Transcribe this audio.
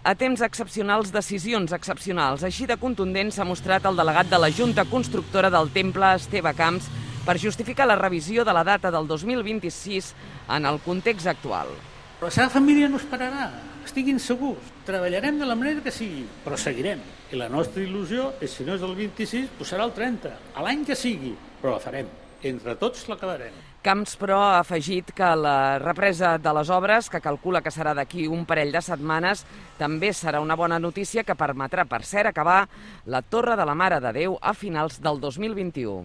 A temps excepcionals, decisions excepcionals. Així de contundent s'ha mostrat el delegat de la Junta Constructora del Temple, Esteve Camps, per justificar la revisió de la data del 2026 en el context actual. La seva família no esperarà, estiguin segurs. Treballarem de la manera que sigui, però seguirem. I la nostra il·lusió és, si no és el 26, doncs serà el 30, a l'any que sigui, però la farem. Entre tots l'acabarem. Camps, però, ha afegit que la represa de les obres, que calcula que serà d'aquí un parell de setmanes, també serà una bona notícia que permetrà, per cert, acabar la Torre de la Mare de Déu a finals del 2021.